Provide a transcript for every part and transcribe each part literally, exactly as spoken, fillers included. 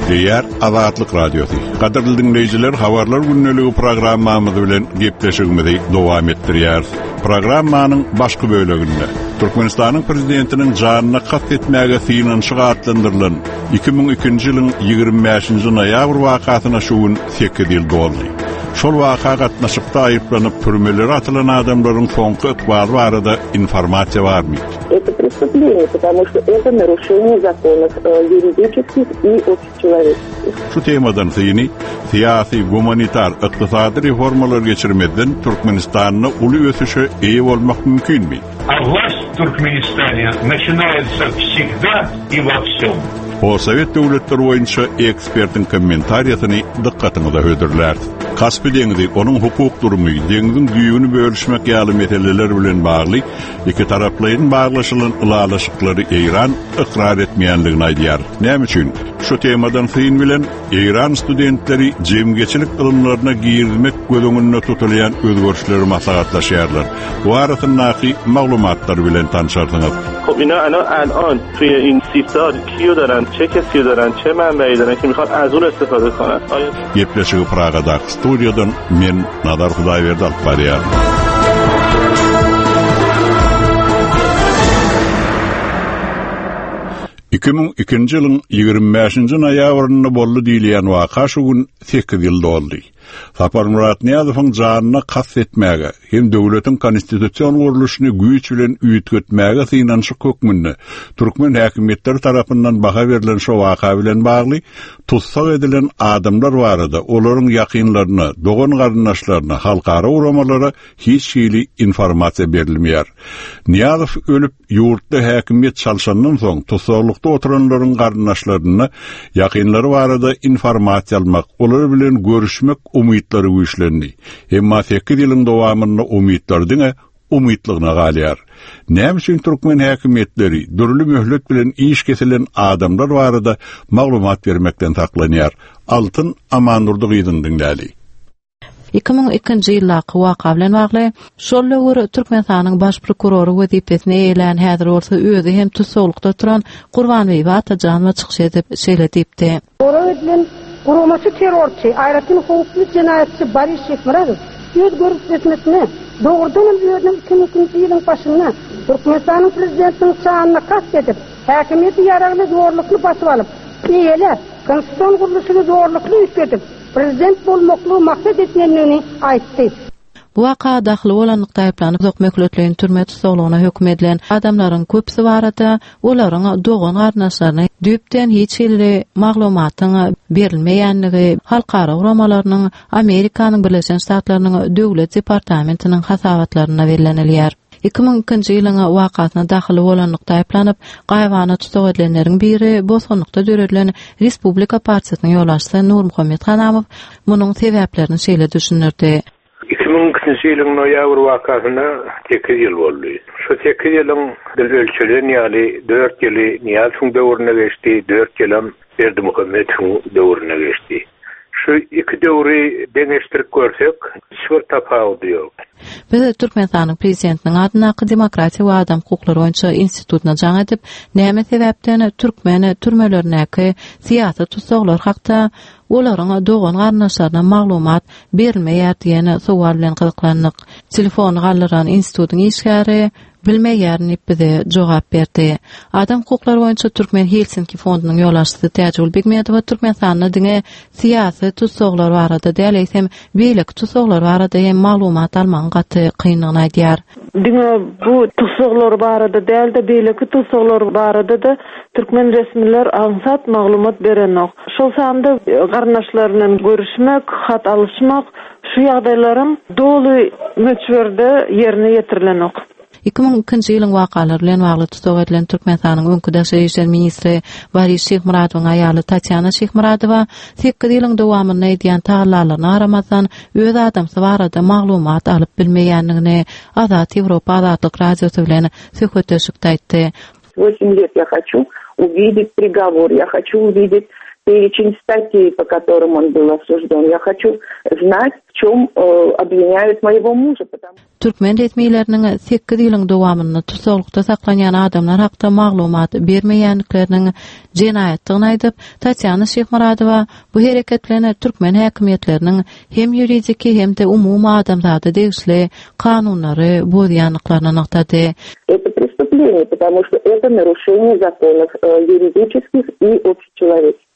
Gepleýär Azatlyk Radiosy. Gadyrly diňleýjiler, habarlar gündeligi programmamyz bilen gepleşigimizi dowam etdirýäris. Programmanyň başky böleginde Türkmenistanyň prezidentiniň janyna kast etmäge synanyşyk atlandyrylan iki müň ikinji ýylyň ýigrimi bäşinji noýabr wakasyna şu gün sekiz ýyl doldy. Şol waka gatnaşykda aýyplanyp türmelere atylan adamlaryň soňky ykbaly barada informasiýa barmy? Это преступление, потому что это нарушение законов, э, юридических и общечеловеческих. Şu temadan syny syýasy, gumanitar, ykdysady reformalar geçirmezden Türkmenistanda uly ösüşe eýe bolmak mümkinmi? A власть в Туркменистане начинается всегда и во всем. Postsovet döwletleri boýunça ekspertiň kommentariýasyny dykgatyňyza hödürlär. Kaspi deňizi, onuň hukuk durumy, deňiziň düýbüni bölüşmek ýaly meseleler bilen bagly iki taraplaýyn baglaşylan ylalaşyklary Eýran ykrar etmeýänligini aýdýar. Näme üçin? Şu temadan syn bilen Eýran studentleri jemgyýetçilik ylymlaryna girizmek göz öňünde tutulýan özgerişleri maslahatlaşýarlar. Bu arasyndaky maglumatlar bilen tanışarsyňyz. Xob اینا الان الان توی این سی سال کیو دارن چه کسی دارن چه منبعی دارن که میخوان از اون استفاده کنن آیا Gepleşigi Pragadaky studiýadan men Nazar Hudaýberdi alyp barýaryn. Iki müň ikinji ýylyň ýigrimi bäşinji noýabrynda boldy diýilýän waka şu gün sekiz ýyl doldy. Saparmyrat Nyýazowyň janyna kast etmäge hem döwletiň konstitusion gurluşyny güýç bilen üýtgetmäge synanyşyk hökmünde türkmen häkimiýetleri tarapyndan baha berlen şu waka bilen bagly tussag edilen adamlar barada olaryň ýakynlaryna, dogan garyndaşlaryna, halkara guramalara hiç hili informasiýa berilmeýär. Nyýazow ölüp ýurtda häkimiýet çalşandan soň tussaglykda oturanlaryň garyndaşlaryna ýakynlary barada informasiýa almak, olar bilen görüşmek umytlary güýçlendi. Emma sekiz ýylyň dowamynda umytlar diňe umytlygyna galýar. Näme üçin türkmen häkimiýetleri dürli möhlet bilen iş kesilen adamlar barada maglumat bermekden saklanýar? Altyn Amandurdy gyzyň diňläli. Iki müň ikinji ýyldaky waka bilen bagly şol döwür Türkmenistanyň baş prokurory wezipesini eýelän häzir bolsa özi hem tussaglykda oturan Gurbanbibi Atajanowa çykyş edip şeýle diýipdi. Sorag edilen guramaçy terrorçy, aýratyn howply jenaýatçy Boris Şeýhmyradow öz görüşmesine dogrudan hem özüniň iki müň ikinji ýylyň başynda Türkmenistanyň prezidentiniň çanyna kast edip, häkimiýeti ýaragly zorlukly basyp alyp, eýeläp, konstitusion gurluşyny zorlukly üýtgedip, prezident bolmaklygy maksat etmeyenini aýtdy. Bu waka dahyly bolanlykda aýyplanyp uzak möhletleýin türme tussaglygyna höküm edilen adamlaryň köpüsi barada olaryň dogan garyndaşlaryna düýpden hiç hili maglumatyň berilmeýänligi halkara guramalarynyň Amerikanyň Birleşen Ştatlarynyň Döwlet Departamentiniň hasabatlarynda bellenilýär. Iki müň ikinji ýylyň wakasyna dahyly bolanlykda aýyplanyp gaýybana tussag edilenleriň biri bosgunlykda döredilen Respublika partiýasynyň ýolbaşçysy Nurmuhammet Hanamow munuň sebäplerini şeýle düşündirdi. Iki müň ikinji ýylyň noýabr wakasyna sekiz ýyl boldy. Şu sekiz ýylyň biz ölçelen ýaly dört ýyly Nyýazowyň döwrüne geçdi, dört ýylam Berdimuhametowyň döwrüne geçdi. Şu iki döwri deňeşdirip görsek, hiç bir tapawudy ýok. Biz Türkmenistanyň prezidentiniň adyndaky Demokratiýa we Adam hukuklary boýunça institutyna jaň edip, näme sebäpden türkmen türmelerindäki syýasy tussaglar hakda olaryň dogan garyndaşlaryna maglumat berilmeýär diýen sowal bilen gyzyklandyk. Telefony galdyran institutyň işgäri bilmeýär diýip bize jogap berdi. Adam hukuklary boýunça Türkmen Helsinki fondunyň ýolbaşçysy Täjigül Begmedowa Türkmenistanda diňe syýasy tussaglar barada däl, eýsem beýleki tussaglar barada hem maglumat almagyň gaty kynlygyny aýdýar. Diňe bu tussaglar barada däl-de beýleki tussaglar barada da türkmen resmiler aňsat maglumat berenok. Şol sanda garyndaşlar bilen görüşmek, hat alyşmak şu ýagdaýlaryň doly möçberde ýerine ýetirilenok. Iki müň ikinji ýylyň wakalary bilen bagly tussag edilen Türkmenistanyň öňki daşary işler ministri Boris Şeýhmyradowyň aýaly Tatýana Şeýhmyradowa sekiz ýylyň dowamynda edýän tagallalaryna garamazdan öz adamsy barada maglumat alyp bilmeýänligini Azat Ýewropa Azatlyk Radiosy bilen söhbetdeşlikde aýtdy. Восемь лет я хочу увидеть приговор, я хочу увидеть перечень статей, по которым он был осужден. Я хочу знать, в чем э, обвиняют моего мужа. Потому... Türkmen resmileriniň sekiz ýylyň dowamynda tusaglykda saklanýan adamlar hakda maglumat bermeýändikleriniň jenaýatdygyny aýdyp, Tatýana Şyhmyradowa bu hereket bilen türkmen häkimiýetleriniň hem ýuridiki hem-de umumy adamzada degişli kanunlary bozýandyklaryny nygtady. Это преступление, потому что это нарушение законов э, юридических и общечеловеческих.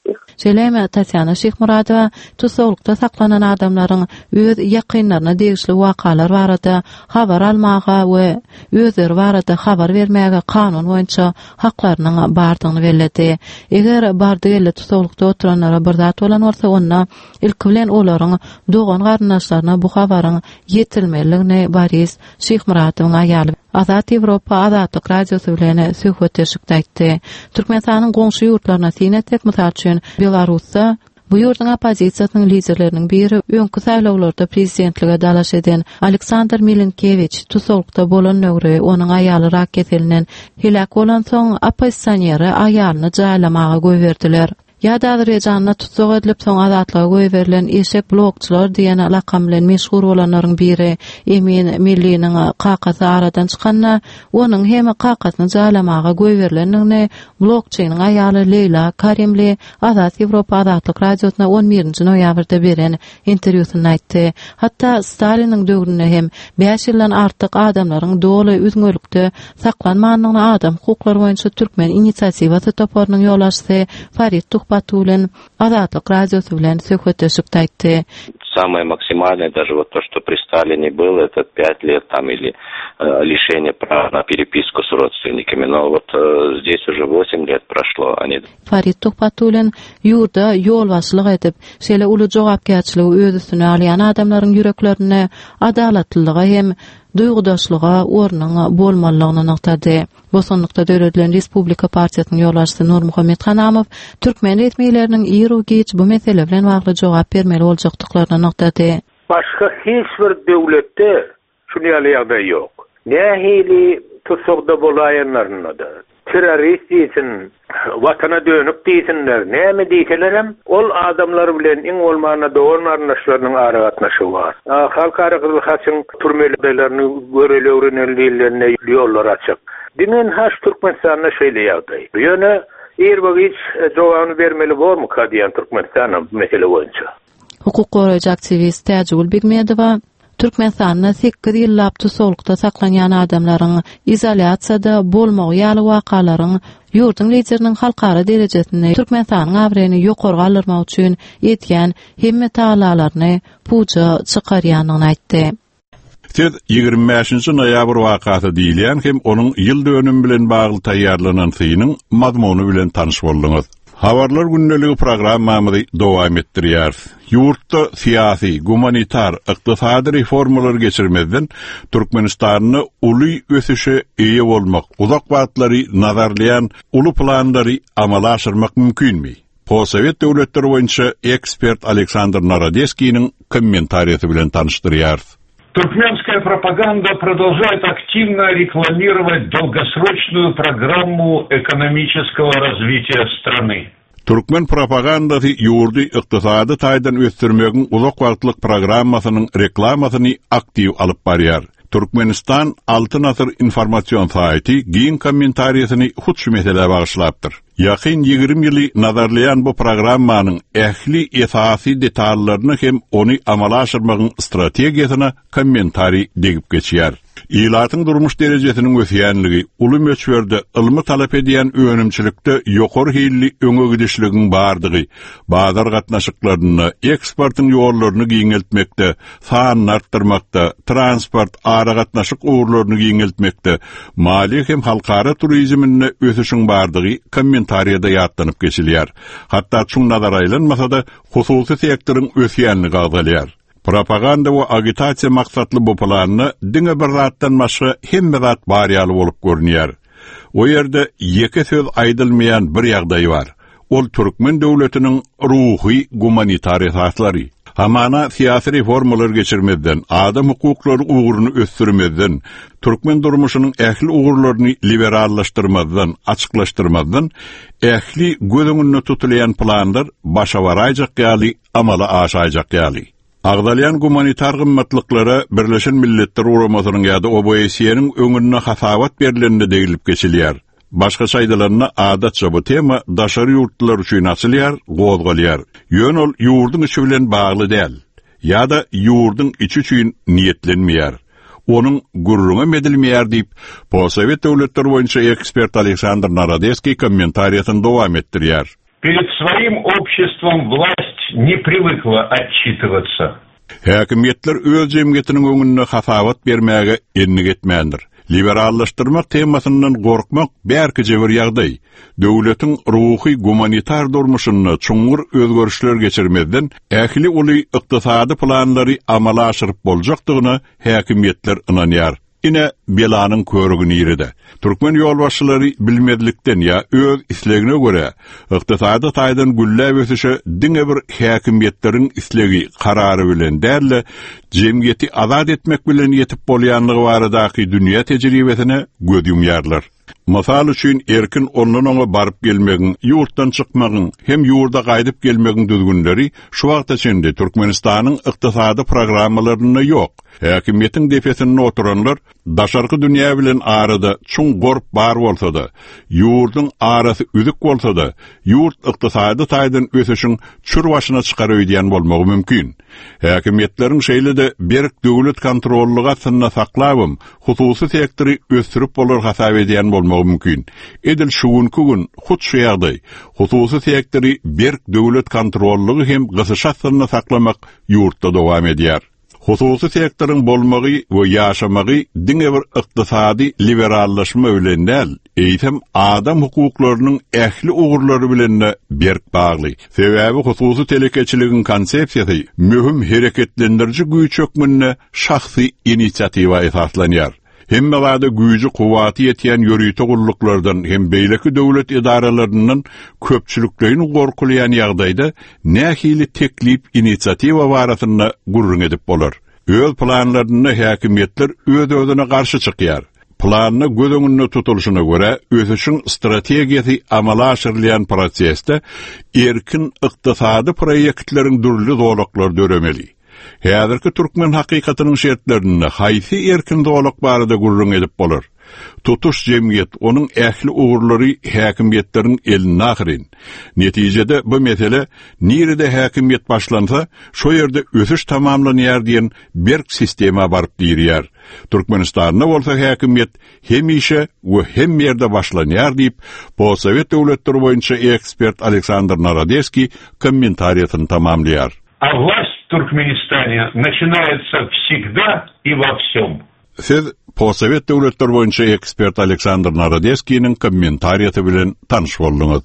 Şeýle hem Tatýana Şyhmyradowa tusaglykda saklanan adamlaryň öz ýakynlaryna degişli wakalar barada habar almaga we özleri barada habar bermäge kanun boýunça haklarynyň bardygyny belledi. Eger bardy geldi tusaglykda oturanlara bir zat bolan bolsa, onda ilki bilen olaryň dogan garyndaşlaryna bu habaryň ýetilmelidigini Boris Şyhmyradowyň aýaly Azat Ýewropa Azatlyk Radiosy bilen söhbetdeşlikde aýtdy. Türkmenistanyň goňşy ýurtlaryna syn etsek, mysal üçin Belarusda bu ýurduň oppozisiýasynyň liderleriniň biri öňki saýlawlarda prezidentlige dalaş eden Aleksandr Milinkewiç tusaglykda bolan döwri onuň aýaly rak keselinden heläk bolansoň oppozisioneri aýalyny jaýlamaga goýberdiler. Ýa-da Azerbaýjanda tussag edilip soň azatlyga goýberilen eşek blokçular diýen lakam bilen meşhur bolanlaryň biri Emin Milliniň kakasy aradan çykanda onuň hem kakasyny jaýlamaga goýberilendigini blokçynyň aýaly Leýla Karimli Azat Ýewropa Azatlyk Radiosyna on birinji noýabrda beren interwýusynda aýtdy. Hatda Staliniň döwründe hem bäş ýyldan artyk adamlaryň doly üzňelikde saklanmandygyny adam hukuklary boýunça Türkmen inisiatiwasy toparynyň ýolbaşçysy Farid Tuhbatullin Azatlyk Radiosy bilen söhbetdeşlikde aýtdy. Самое максимальное, даже вот то, что при Сталине было, это пять лет там или, э, лишение права на переписку с родственниками. Но вот, э, здесь уже восемь лет прошло. Они Farid Tuhbatullin ýurda ýolbaşçylyk edip, şeýle uly jogapkärçiligi öz üstüne alýan adamlaryň ýüreklerine adalatlylyga hem duýgudaşlyga ornuň bolmalydygyny nygtady. Bosgunlykda döredilen Respublika partiýasynyň ýolbaşçysy Nurmuhammet Hanamow türkmen resmileriniň iru-giç bu mesele bilen bagly jogap bermeli boljakdyklaryny nygtady. Başga hiç bir döwletde şuny ýaly ýagdaý ýok. Nähili tutsagda bolaýanlaryna da, terrorist diýsin, watana dönük diýsinler, näme diýselerem, ol adamlar bilen iň bolmanda dogan garyndaşlarynyň aragatnaşygy bar. Halkara Gyzyl Haçyň türmelerini göreli öwreneli diýilende ýollar açyk. Diňe haş Türkmenistanda şeýle ýagdaý. Ýöne ir-giç jogabyny bermeli bormyka diýen Türkmenistanyň bu mesele boýunça. Hukuk goraýjy aktiwist Täjigül Begmedowa Türkmenistanda sekiz ýyllap tusaglykda saklanýan adamlaryň izolýasiýada bolmagy ýaly wakalaryň ýurduň lideriniň halkara derejesinde Türkmenistanyň abraýyny ýokary galdyrmak üçin edýän hemme tagallalaryny puja çykarýandygyny aýtdy. Siz ýigrimi bäşinji noýabr wakasy diýilýän hem onuň ýyl dönümi bilen bagly taýýarlanan synyň mazmuny bilen tanyş bolduňyz. Habarlar gündeligi programmamyzy dowam etdirýär. Ýurtda syýasy, gumanitar, ykdysady reformalar geçirmezden Türkmenistanda uly ösüşe eýe bolmak, uzak wagtlary nazarlaýan uly planlary amala aşyrmak mümkinmi? Postsovet döwletleri boýunça ekspert Aleksandr Narodeskiniň kommentariýasy bilen tanyşdyrýar. Туркменская пропаганда продолжает активно рекламировать долгосрочную программу экономического развития страны. Türkmen propagandasy ýurdy ykdysady taýdan ösdürmegiň uzak wagtlyk programmasynyň reklamasyny aktiw alyp barýar. Türkmenistan Altyn Asyr informasion saýty giň kommentariýasyny hut şu meselä bagyşlapdyr. Ýakyn ýigrimi ýyly nazarlaýan bu programmanyň ähli esasy detallaryny hem ony amala aşyrmagyň strategiýasyna kommentariý degip geçýär. Ilatyň durmuş derejesiniň ösýänligi, uly möçberde ylmy talap edýän önümçilikde ýokary hilli öňe gidişligiň bardygy, bazar gatnaşyklarynda eksportyň ýollaryny giňeltmekde, sanyny artdyrmakda, transport aragatnaşyk ugurlaryny giňeltmekde, maliýe hem halkara turizminde ösüşiň bardygy kommentariýada ýatlanyp geçilýär. Hatda çuň nazar aýlanmasa-da hususy sektoryň ösýänligi agzalýar. Propaganda we agitasiýa maksatly bu planyna diňe bir zatdan başga hemme zat bar ýaly bolup görünýär. O ýerde ýeke söz aýdylmaýan bir ýagdaý bar. Ol Türkmen döwletiniň ruhy gumanitar esaslary. Hamana syýasy reformalar geçirmezden, adam hukuklary ugruny ösdürmezden, türkmen durmuşynyň ähli ugurlaryny liberallaşdyrmazdan, açyklaşdyrmazdan ähli göz öňünde tutulýan planlar başa baraýjak ýaly, amala aşaýjak ýaly. Agzalýan gumanitar gymmatlyklara Birleşen Milletler Guramasynyň ýa-da O B S E-niň öňünde hasabat berlenine degilip geçilýär. Başga aýdylanda adatça bu tema daşary ýurtlar üçin açylýar, gozgalýar. Ýöne ol ýurduň içi bilen bagly däl ýa-da ýurduň içi üçin niýetlenmeýär. Onuň gürrüňi edilmeýär diýip, Postsowet döwletler boýunça ekspert Aleksandr Narodeskiý kommentariýasyny dowam etdirýär. Перед своим обществом власть не привыкла отчитываться. Häkimiýetler öz jemgyýetiniň öňünde hasabat bermäge endik etmändir. Liberallaşdyrmak temasyndan gorkmak bärkije bir ýagdaý. Döwletiň ruhy gumanitar durmuşynda çuňňur özgerişler geçirmezden ähli uly ykdysady planlary amala aşyryp boljakdygyna häkimiýetler ynanýar. Ine belanyň körügi nirede? Türkmen ýolbaşçylary bilmezlikden ýa öz islegine görä ykdysady taýdan gülläp ösüşe diňe bir häkimiýetleriň islegi karary bilen däl-de, jemgyýeti azat etmek bilen ýetip bolýanlygy baradaky dünýä tejribesine göz ýumýarlar. Mysal üçin erkin ondan oňa baryp gelmegiň, ýurtdan çykmagyň hem ýurda gaýdyp gelmegiň düzgünleri şu wagta çenli Türkmenistanyň ykdysady programmalarynda ýok. Häkimiýetiň depesinde oturanlar daşarky dünýä bilen arada çuň gorp bar bolsa-da, ýurduň arasy üzük bolsa-da, ýurt ykdysady taýdan ösüşiň çür başyna çykar öýdýän bolmagy mümkin. Häkimiýetleriň şeýle-de berk döwlet kontrollygy astynda saklabym, hususy sektory ösdürip bolar hasap edýän bolmagy mümkin. Edil şu günki gün hut şu ýagdaý, hususy sektory berk döwlet kontrollygy hem gysyş astynda saklamak ýurtda dowam edýär. Hususy sektoryň bolmagy we ýaşamagy diňe bir ykdysady liberallaşma bilen däl, eýsem adam hukuklarynyň ähli ugurlary bilen de berk bagly. Sebäbi hususy telekeçiligiň konsepsiýasy möhüm hereketlendiriji güýç hökmünde şahsy inisiatiwa esaslanýar. Hemme zada güýji kuwwaty ýetýän ýörite gulluklardan hem beýleki döwlet edaralaryndan köpçülikleýin gorkulýan ýagdaýda nähili teklip inisiatiwa barasynda gürrüň edip bolar. Öz planlarynda häkimiýetler öz-özüne garşy çykýar. Planyna göz öňünde tutulyşyna görä ösüşiň strategiýasy amala aşyrylýan prosesde erkin ykdysady proýektleriň dürli zolaklary döremeli. Häzirki türkmen hakykatynyň şertlerinde haýsy erkin zolak barada gürrüň edip bolar? Tutuş jemgyýet onuň ähli ugurlary häkimiýetleriň elinde ahyryn. Netijede bu mesele nirede häkimiýet başlansa, şo ýerde ösüş tamamlanýar diýen berk sistema baryp diýýär. Türkmenistanda bolsa häkimiýet hemişe we hem ýerde başlanýar diýip, Postsowet döwletleri boýunça ekspert Aleksandr Narodeskiý kommentariýasyny tamamlaýar. А власть в Туркменистане начинается всегда и во всем. Siz Postsowet döwletleri boýunça ekspert Aleksandr Narodeskiniň kommentariýasy bilen tanyş bolduňyz.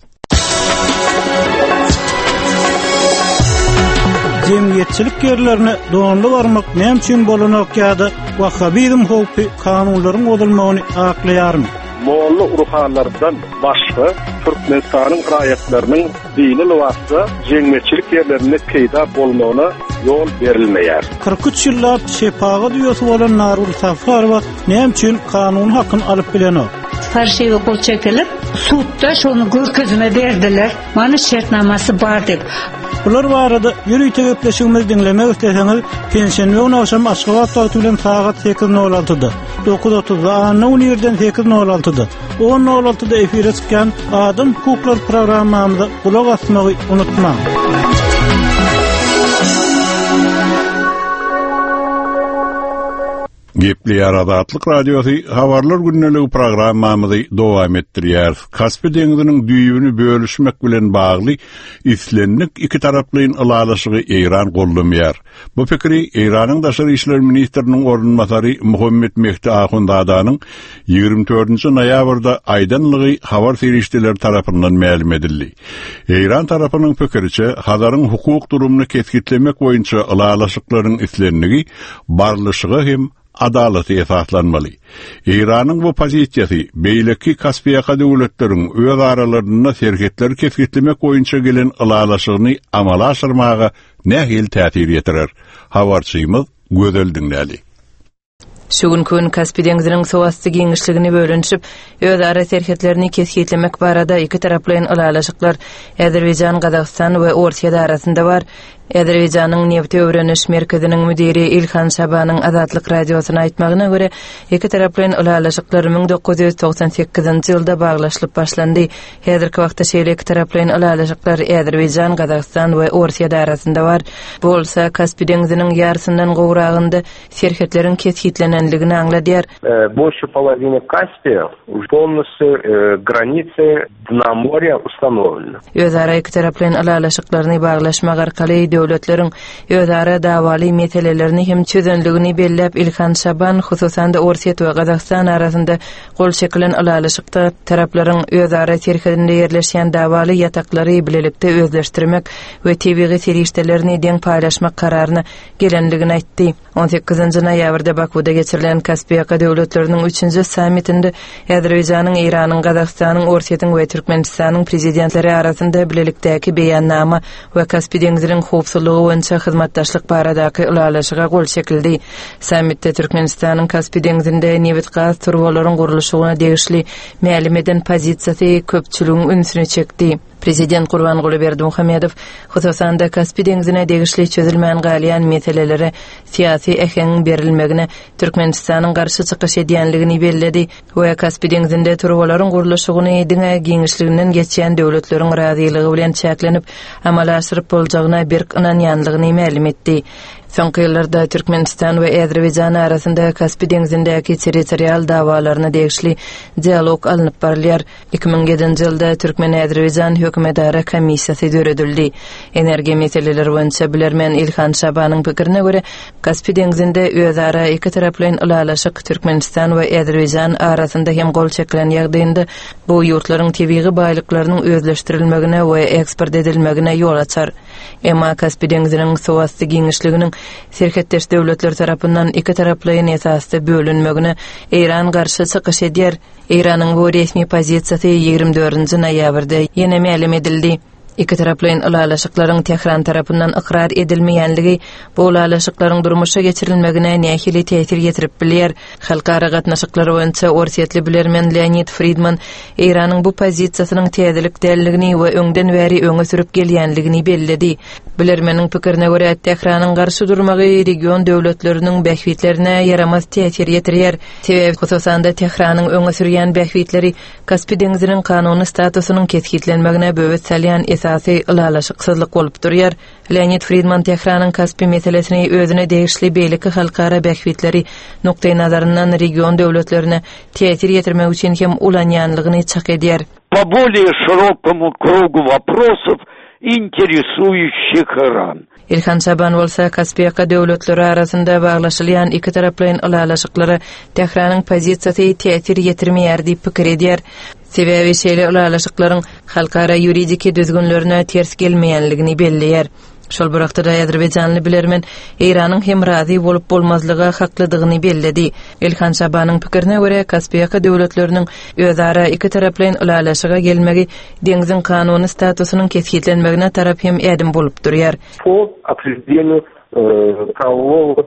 Jemgyýetçilik ýerlerine donly barmak näme üçin bolanok ýa-da wahhabizm howpy kanunlaryň bozulmagyny aklaýarmy? Molla ruhanlardan başga Türkmenistanyň raýatlarynyň dini lybasda jemgyýetçilik ýerlerinde peýda bolmagyna ýol berilmeýär. kyrk üç ýyllap şepagat uýasy bolan Nargül Safarowa näme üçin kanun hakyny alyp bilenok? Farşiwe gol çekilip, sudda şonu görkezme berdiler. Mana şertnamasy bar diýip. Bular barada ýörite gepleşigimizi diňlemek isleseňiz, penşenbe güni akşam Aşgabat wagty bilen sagat sekiz nol altyda, dokuz otuzda, anna güni irden sekiz nol altyda, on nol altyda efire çykýan Adam hukuklary programmamyza gulak asmagy unutmaň. Gepleýär Azatlyk Radiosy habarlar gündeligi programmamyzy dowam etdirýär. Kaspi deňziniň düýbüni bölüşmek bilen bagly islendik iki taraplaýyn ylalaşygy Eýran gollamaýar. Bu pikiri Eýranyň Daşary işler ministriniň orunbasary Muhammed Mehdi Ahundzadanyň ýigrimi dördünji noýabrda aýdanlygy habar serişdeleri tarapyndan mälim edildi. Eýran tarapynyň pikiriçe Hazaryň hukuk durumyny kesgitlemek boýunça ylalaşyklaryň islenligi barlyşyga hem adalata esaslanmaly. Eýranyň bu pozisiýasy beýleki Kaspiýaka döwletleriň öz aralarynda serhetleri kesgitlemek boýunça gelen ylalaşygyny amala aşyrmaga nähili täsir ýetirer? Habarçymyz Gözel diňläli. Şu günki gün Kaspi deňziniň suwasty giňişligini bölünişip, özara serhetlerini kesgitlemek barada iki taraplaýyn ylalaşyklar Azerbaýjan, Gazagystan we Orsýet arasynda bar. Azerbaýjanyň Nebti öwreniş merkeziniň müdiri Ilhan Şabanyň Azatlyk radiosyna aýtmagyna görä, iki taraplaýyn ylalaşyklar müň dokuz ýüz togsan sekizinji ýylda baglaşylyp başlandy. Häzirki wagtda şeýle iki taraplaýyn ylalaşyklar Azerbaýjan, Gazagystan we Orsýet arasynda bar. Bu bolsa Kaspi deňziniň ýarysyndan gowragynda serhetleriň kesgitlenenligini aňladýar. Больше половины Каспия полностью границы дна моря установлены. Özara iki taraplaýyn ylalaşyklaryny baglaşmak arkaly döwletleriň özara dawaly meselelerini hem çözenligini belläp Ilhan Şaban hususan-da Orsýet we Gazagystan arasynda gol çekilen ylalaşykda taraplaryň özara serhedinde ýerleşýän dawaly ýataklary bilelikde özleşdirmek we tebigy serişdelerini deň paýlaşmak kararyna gelenligini aýtdy. on sekizinji noýabrda Bakuda geçirilen Kaspiýaka döwletleriniň üçünji sammitinde Azerbaýjanyň, Eýranyň, Gazagystanyň, Orsýetiň we Türkmenistanyň prezidentleri arasynda bilelikdäki beýannama we Kaspi deňziniň howpsuzlygy boýunça hyzmatdaşlyk baradaky ylalaşyga gol çekildi. Sammitde Türkmenistanyň Kaspi deňzinde nebit gaz turbalaryň gurluşygyna degişli mälim eden pozisiýasy köpçüligiň ünsüni çekdi. Prezident Gurbanguly Berdimuhamedow hususan-da Kaspi deňzine degişli çözülmän galýan meselelere syýasy äheňiň berilmegine Türkmenistanyň garşy çykyş edýänligini belledi we Kaspi deňzinde turbalaryň gurluşygyny diňe giňişliginden geçýän döwletleriň razylygy bilen çäklenip amala aşyryp boljagyna berk ynanýanlygyny mälim etdi. Soňky ýyllarda Türkmenistan we Azerbaýjan arasynda Kaspi deňzindäki territorial dawalaryna degişli dialog alnyp barylýar. iki müň ýedinji ýylda Türkmen-Azerbaýjan hökümetara komissiýasy döredildi. Energiýa meseleleri boýunça bilermen Ilhan Şabanyň pikirine görä, Kaspi deňzinde özara iki taraplaýyn ylalaşyk Türkmenistan we Azerbaýjan arasynda hem gol çekilen ýagdaýynda bu ýurtlaryň tebigy baýlyklarynyň özleşdirilmegine we eksport edilmegine ýol açar. Emma Kaspi deňziniň suwasty giňişliginiň serhetdeş döwletler tarapyndan iki taraplaýyn esasda bölünmegine Eýran garşy çykyş edýär. Eýranyň bu resmi pozisiýasy ýigrimi dördünji noýabrda ýene mälim edildi. Iki taraplaýyn ylalaşyklaryň Tehran tarapyndan ykrar edilmeýänligi bu ylalaşyklaryň durmuşa geçirilmegine nähili täsir ýetirip bilýär? Halkara gatnaşyklary boýunça Orsýetli bilermen Leonid Friedman Eýranyň bu pozisiýasynyň täzelik dälligini we öňden bäri öňe sürüp gelýänligini belledi. Bilermeniň pikirine görä, Tehranyň garşy durmagy region döwletleriniň bähbitlerine ýaramaz täsir ýetirýär. Sebäbi hususan-da Tehranyň öňe sürýän bähbitleri Kaspi deňziniň kanuny statusynyň kesgitlenmegine böwet salýan esasy ylalaşyksyzlyk bolup durýar. Leonid Friedman Tehranyň Kaspi meselesini özüne degişli beýleki halkara bähbitleri nukdaý nazaryndan region döwletlerine täsir ýetirmek üçin hem ulanýanlygyny çak edýär. По более широкому кругу вопросов, интересующих Иран. Ilhan Şaban bolsa Kaspiýaka döwletleri arasynda baglaşylýan iki taraplaýyn ylalaşyklara Tehranyň pozisiýasy täsir ýetirmeýär diýip pikir edýär. Sebäbi şeýle ylalaşyklaryň halkara ýuridiki düzgünlerine ters gelmeýänligini belleýär. Şol bir wagtda Azerbaýjanly bilermen Eýranyň hem razy bolup bolmazlyga haklydygyny belledi. Ilhan Şabanyň pikirine görä, Kaspiýaka döwletleriniň özara iki taraplaýyn ylalaşyga gelmegi deňziň kanuny statusynyň kesgitlenmegine tarap hem ädim bolup durýar. Po определению правового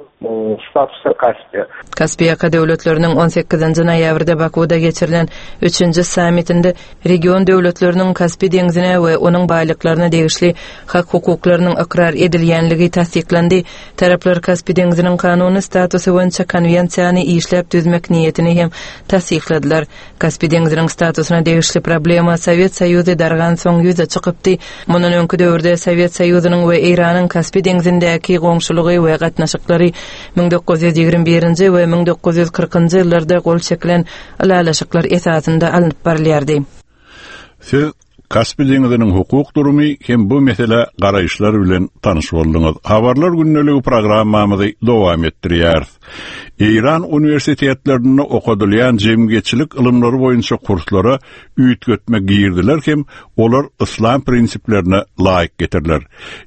statusa Kaspiýa. Kaspiýaka döwletleriniň on sekizinji noýabrda Bakuda geçirilen üçünji sammitinde region döwletleriniň Kaspi deňzine we onuň baýlyklaryna degişli hak hukuklarynyň ykrar edilýänligi tassyklandy. Taraplar Kaspi deňziniň kanuny statusy boýunça konwensiýany işläp düzmek niýetini hem tassykladylar. Kaspi deňziniň statusyna degişli problema Sowet Soýuzy dargan soň ýüze çykypdy. Mundan öňki döwürde Sowet Soýuzynyň we Eýranyň Kaspi deňzindäki goňşulygy we gatnaşyklary müň dokuz ýüz ýigrimi birinji we müň dokuz ýüz kyrkynjy ýyllarda gol çekilen ylalaşyklar esasynda alnyp barylýardy. Siz Kaspi deňiziniň hukuk durumy hem bu mesele garaýyşlar bilen tanyş bolduňyz. Habarlar gündeligi programmamyzy dowam etdirýäris. Eýran uniwersitetlerinde okadylýan jemgyýetçilik ylymlary boýunça kurslara üýtgetme girdiler hem olar islam prinsiplerine laýyk getiriler.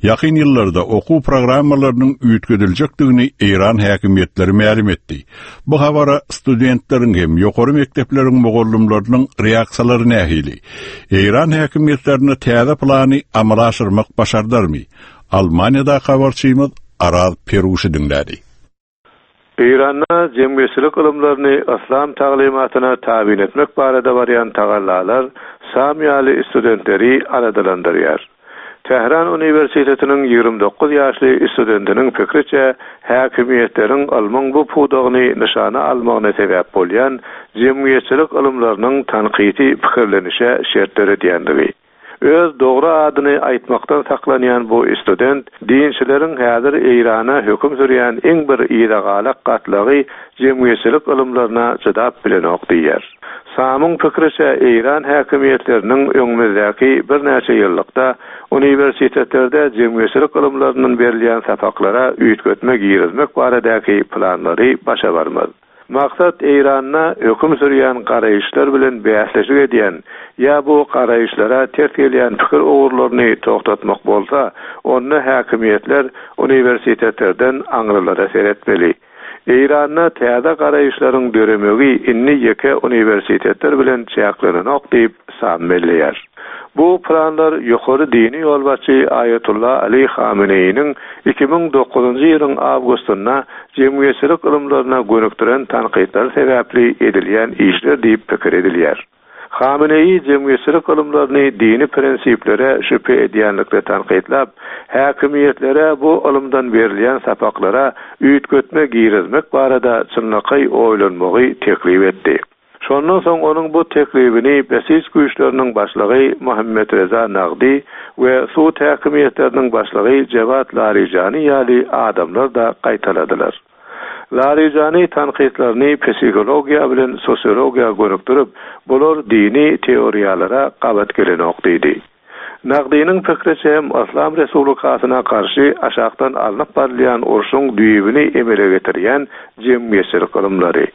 Ýakyn ýyllarda okuw programmalarynyň üýtgediljekdigini Eýran häkimiýetleri mälim etdi. Bu habara studentleriň hem ýokary mekdepleriň mugallymlarynyň reaksiýalary nähili? Eýran häkimiýetlerine täze plany amala aşyrmak başardarmy? Almaniýada habarçymyz Araz Peruşy diňledi. Eýranda jemgyýetçilik ylymlaryny islam taglymatyna tabyn etmek barada barýan tagallalar Sam ýaly studentleri aladalandyrýar. Tähran Uniwersitetiniň ýigrimi dokuz ýaşly studentiniň pikriçe häkimiýetleriň ylmyň bu pudagyny nyşana almagyna sebäp bolýan jemgyýetçilik ylymlarynyň tankydy pikirlenişe şert döredýändigi. Öz dogry adyny aýtmakdan saklanýan bu student dinçileriň häzir Eýrana höküm sürýän iň bir ýygagalak gatlagy jemgyýetçilik ylymlaryna jydap bilenok diýer. Samyň pikriçe Eýran häkimiýetleriniň öňümizdäki birnäçe ýyllykda uniwersitetlerde jemgyýetçilik ylymlarynyň berilýän sapaklara üýtgetme girizmek baradaky planlary başa barmaz. Maksat Eýranda höküm sürýän garaýyşlar bilen bäsleşik edýän ýa bu garaýyşlara ters gelýän pikir ugurlaryny togtatmak bolsa, onda häkimiýetler uniwersitetlerden aňrylara seretmeli. Eýranda täze garaýyşlaryň döremegi indi ýeke uniwersitetler bilen çäklenenok diýip Sam belleýär. Bu planlar ýokary dini ýolbaşçy Aýatullah Ali Hameneýiniň iki müň dokuzynjy ýylyň awgustynda jemgyýetçilik ylymlaryna gönükdiren tankytlar sebäpli edilýän işler diýip pikir edilýär. Hameneýi jemgyýetçilik ylymlaryny dini prinsiplere şübhe edýänlikde tankytlap, häkimiýetlere bu ylymdan berilýän sapaklara üýtgetme girizmek barada çynlakaý oýlanmagy teklip etdi. Şondan soň onuň bu teklibini Besiç güýçleriniň başlygy Muhammed Reza Nagdi we sud häkimiýetleriniň başlygy Jewad Larijani ýaly adamlar da gaýtaladylar. Larijani tankytlaryny psihologiýa bilen sosiologiýa gönükdirip, bular dini teoriýalara gabat gelenok diýdi. Nagdiniň pikriçe hem Islam Respublikasyna garşy aşakdan alnyp barylýan urşuň düýbüni emele getirýän jemgyýetçilik ylymlary.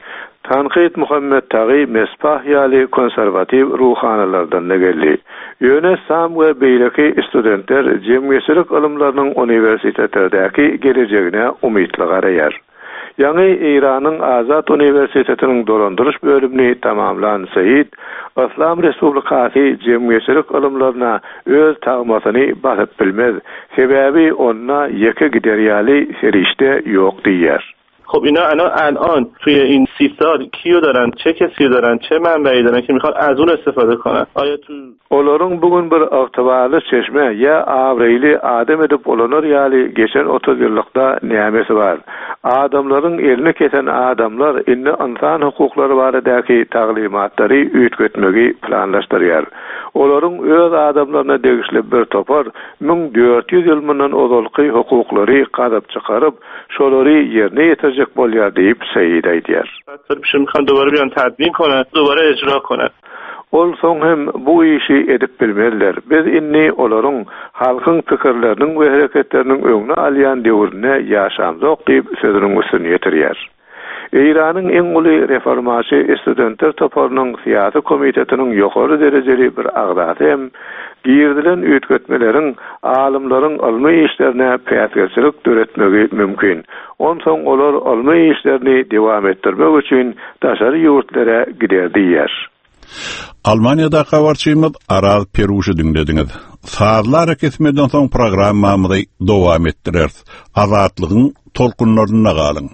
Tankyt Muhammed Tagi Mesbah ýaly konserwatiw ruhanalardan da geldi. Ýöne Sam we beýleki studentler jemgyýetçilik ylymlarynyň uniwersitetlerdäki gelejegine umytly garaýar. Ýaňy Eýranyň Azat Uniwersitetiniň dolandyryş bölümini tamamlan Seýid, Islam Respublikasy jemgyýetçilik ylymlaryna öz tagmasyny basyp bilmez. Sebäbi onda ýeke gider ýaly serişde ýok diýýär. خب اینا الان الان توی این سی سال کیو دارن، چه کسی رو دارن، چه منبعی دارن که میخوان از اون استفاده کنن؟ آیا تو Olaryň bugün bir ygtybarly çeşme ýa abraýly adam edip ulanar ýaly geçen otuz ýyllykda nämesi bar. Adamlaryň elini kesen adamlar indi insan hukuklary baradaky taglymatlary üýtgetmegi planlaşdyrýar. Olaryň öz adamlaryna degişli bir topar müň dört ýüz ýyl mundan ozalky hukuklary gazyp çykaryp, şolary ýerine ýetirjek bolýar diýip Seýid aýdýar. میخوان دوباره بیان تدوین کنن، دوباره اجرا کنن. Ol soň hem bu işi edip bilmeliler. Biz inni olaryň halkyň pikirleriniň we hereketleriniň öňüne alýan döwrüne ýaşamzok diýip sözüniň üstüni ýetirýär. Eýranyň iň uly reformaçy studentler toparynyň syýasy komitetiniň ýokary derejeli bir agzasy hem girdilen üýtgetmeleriň alymlaryň ylmy işlerine päsgelçilik döretmegi mümkin. Onsoň olar ylmy işlerini dowam etdirmek üçin daşary ýurtlara gider diýär. Almaniýada habarçymyz Araz Peruşy diňlediňiz. Sazlar kesmeden soň programmamyzy dowam etdireris. Azatlygyň tolkunlaryna galyň.